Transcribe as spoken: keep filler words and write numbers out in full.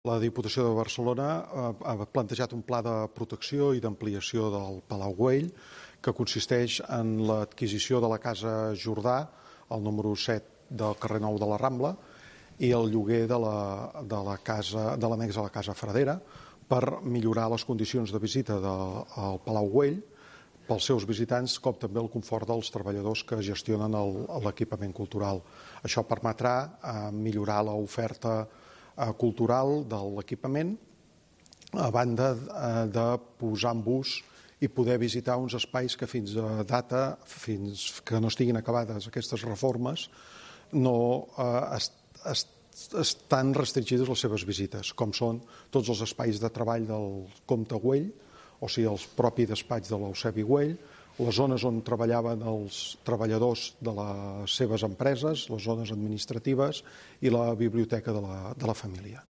La Diputació de Barcelona ha plantejat un pla de protecció i d'ampliació del Palau Güell que consisteix en l'adquisició de la Casa Jordà, al número set del carrer Nou de la Rambla, i el lloguer de l'annex a la Casa Fradera per millorar les condicions de visita del Palau Güell pels seus visitants, com també el confort dels treballadors que gestionen l'equipament cultural. Això permetrà millorar l'oferta cultural de l'equipament, a banda de posar en ús i poder visitar uns espais que fins a data, fins que no estiguin acabades aquestes reformes, no estan restringides les seves visites, com són tots els espais de treball del Comte Güell, o sigui, el propi despatx de l'Eusebi Güell, les zones on treballaven els treballadors de les seves empreses, les zones administratives i la biblioteca de la família.